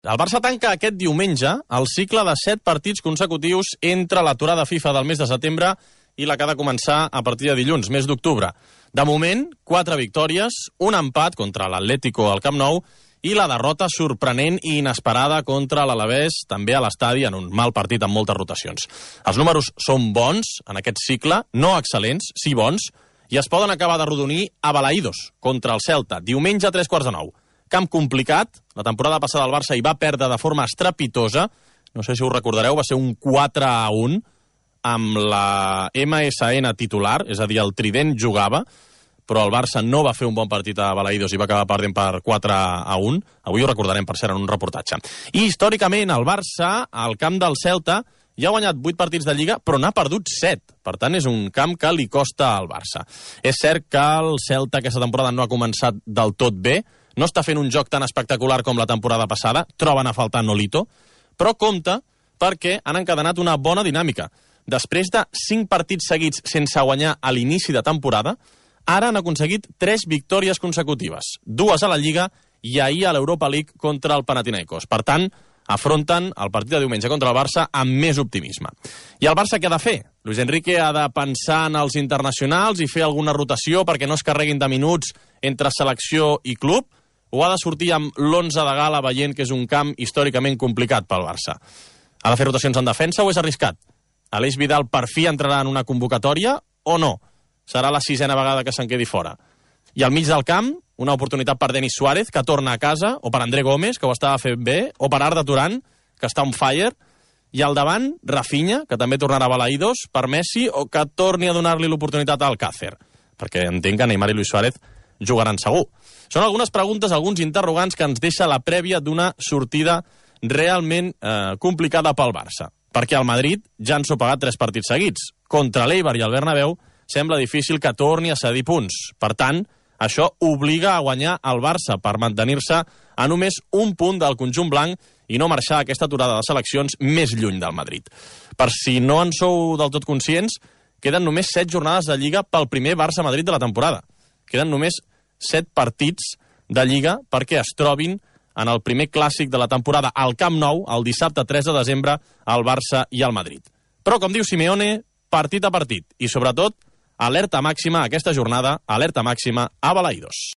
El Barça tanca aquest diumenge el cicle de 7 partits consecutius entre l'aturada FIFA del mes de setembre i la que ha de començar a partir de dilluns, mes d'octubre. De moment, 4 victòries, un empat contra l'Atlético al Camp Nou i la derrota sorprenent i inesperada contra l'Alavés, també a l'estadi, en un mal partit amb moltes rotacions. Els números són bons en aquest cicle, no excel·lents, sí bons, i es poden acabar d'arrodonir a Balaïdos, contra el Celta, diumenge a 15:45. Camp complicat, la temporada passada el Barça hi va perdre de forma estrepitosa, no sé si us recordareu, va ser un 4-1 amb la MSN titular, és a dir, el Trident jugava, però el Barça no va fer un bon partit a Balaïdos i va acabar perdent per 4-1. Avui ho recordarem, per cert, en un reportatge. I històricament el Barça, al camp del Celta, ja ha guanyat 8 partits de Lliga, però n'ha perdut 7. Per tant, és un camp que li costa al Barça. És cert que el Celta aquesta temporada no ha començat del tot bé, no està fent un joc tan espectacular com la temporada passada, troben a faltar Nolito, però compte perquè han encadenat una bona dinàmica. Després de 5 partits seguits sense guanyar a l'inici de temporada, ara han aconseguit 3 victòries consecutives, 2 a la Lliga i ahir a l'Europa League contra el Panathinaikos. Per tant, afronten el partit de diumenge contra el Barça amb més optimisme. I el Barça què ha de fer? Luis Enrique ha de pensar en els internacionals i fer alguna rotació perquè no es carreguin de minuts entre selecció i club, o ha de sortir amb l'11 de gala veient que és un camp històricament complicat pel Barça? Ha de fer rotacions en defensa o és arriscat? Aleix Vidal per fi entrarà en una convocatòria o no? Serà la 6a vegada que se'n quedi fora. I al mig del camp, una oportunitat per Denis Suárez, que torna a casa, o per André Gómez, que ho estava fent bé, o per Arda Turan, que està on fire, i al davant, Rafinha, que també tornarà a Balaïdos, per Messi, o que torni a donar-li l'oportunitat a Alcácer, perquè entenc que Neymar i Luis Suárez jugaran segur. Són algunes preguntes, alguns interrogants que ens deixa la prèvia d'una sortida realment complicada pel Barça, perquè al Madrid ja han sopegat 3 partits seguits. Contra l'Eibar i el Bernabéu sembla difícil que torni a cedir punts. Per tant, això obliga a guanyar el Barça per mantenir-se a només un punt del conjunt blanc i no marxar aquesta aturada de seleccions més lluny del Madrid. Per si no en sou del tot conscients, queden només 7 jornades de Lliga pel primer Barça-Madrid de la temporada. Queden només 7 partits de Lliga perquè es trobin en el primer clàssic de la temporada al Camp Nou, el dissabte 3 de desembre, al Barça i al Madrid. Però, com diu Simeone, partit a partit. I, sobretot, alerta màxima aquesta jornada, alerta màxima a Balaïdos.